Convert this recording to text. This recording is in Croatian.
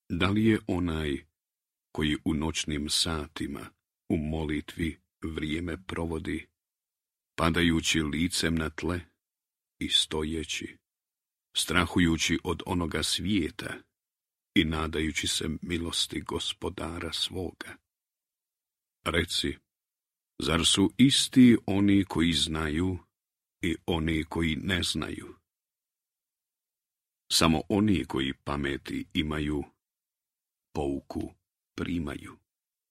Da li je onaj koji u noćnim satima u molitvi vrijeme provodi, padajući licem na tle i stojeći, strahujući od onoga svijeta i nadajući se milosti Gospodara svoga? Reci, zar su isti oni koji znaju i oni koji ne znaju? Samo oni koji pameti imaju, pouku primaju.